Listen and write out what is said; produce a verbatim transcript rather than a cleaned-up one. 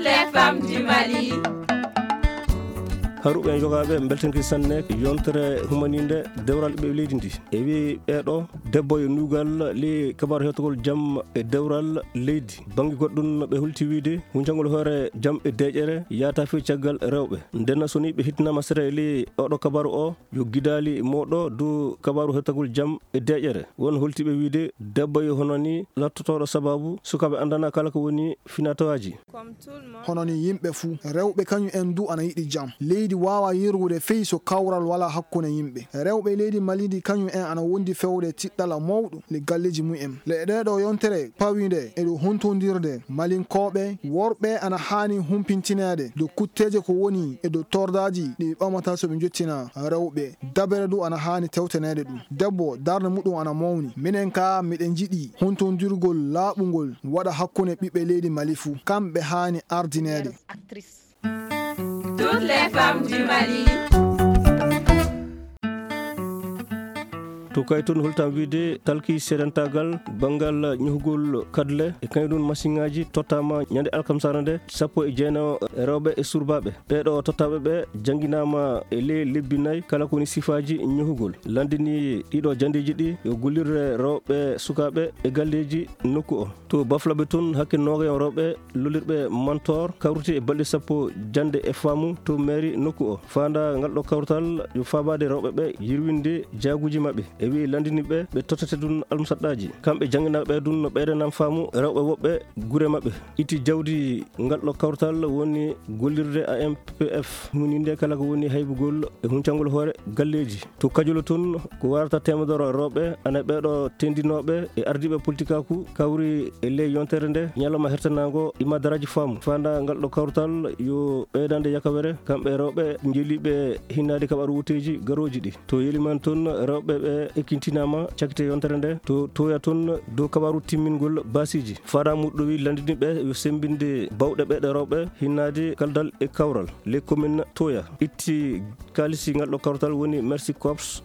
Les femmes du Mali. Haruɓe en yogaaɓe, mbeltanki sanne yontere humaninde dewral ɓe leydi ndi. E wi ɓeeɗo debbo yo nuugal li kabaru hettogol jam e dewral leydi. Bangi goɗɗum ɓe hulti wiide huncangol hoore jam e deƴere yaata fi caggal rewɓe. Ndenna soni ɓe hittinama sere li oɗo kabaru o yo gidali moɗo du kabaru hettogol jam e deƴere. Won holtiɓe wiide debbo yo hono ni lattotoɗo sababu sukaɓe andana kala ko woni finatawaji. Hono ni yimɓe fuu, rewɓe kañum en du ana yiɗi jam. Leydi waawa yirwude fey so kawral walaa hakkunde yimɓe. Rewɓe leydi Mali ndi kañum en ana wondi fewde tiɗɗala mawɗo le galleeji mumen. Le ɗee ɗo yontere pawinde e ɗo huntondirde Malinkooɓe, worɓe ana haani humpintineede do kutteeje ko woni e do tordaaji ɗi ɓamata so ɓe njottina rewɓe. Dabere du ana haani tewteneede ɗum. Debbo darnde muɗum ana mawni. Minen ka miɗen njiɗi huntondirgol laaɓungol waɗa hakkunde ɓiɓɓe leydi Mali fuu. Kamɓe haani ardineede. Toutes les femmes du Mali. To kay toon holtam wiide talki seedantagal banngal ñohgol kadle e kañum ɗum masiŋaaji tottama ñande alkamsara nde sappo e jeenayo rewɓe e surbaaɓe. Ɓeeɗo tottaaɓe ɓe jannginaama e ley lebbi nayi kala ko woni sifaaji ñohugol. Lanndini ɗiɗo janndeeji ɗi yo gollirde rewɓe sukaaɓe e galleeji nokku o. To Baflaɓe toon hakke noogayo rewɓe lollirɓe mantoor kawriti e balɗe sappo jannde e faamu to mairie nokku o. Faanda ngal ɗo kawtal yo faabaade rewɓe ɓe yirwinde jaaguuji maɓɓe. E wi'i lanndiniiɓe ɓe tottete ɗum almusaɗɗaaji. Kamɓe jannginaaɓe ɓe ɗum no ɓeydanam faamu rewɓe woɓɓe gure maɓɓe. Itti jawdi ngal ɗo kawtal woni gollirde A M P F, hunininde kala ko woni haybugol e huncangol hoore galleeji. To Kajolo toon ko warata teemedoro rewɓe ana ɓeeɗo tendinooɓe e ardiiɓe politikaaku kawri e ley yontere nde ñalawma hertanaango e madaraaji faamu. Faanda ngal ɗo kawtal yo ɓeydande yakawere kamɓe rewɓe njeliiɓe hinnaade kaɓaru wuteeji garooji ɗi. To Yeliman toon rewɓe ɓe ekkintinaama cakite yontere nde. To Toya toon dow kaɓaru timmingol baasiiji. Faanda muɗɗowi lanndini ɓe yo semmbinde bawɗe ɓe ɗe rewɓe hinnaade kaldal e kawral. Les communes Toya itti kaalisi ngal ɗo kawtal woni Mercy Corps.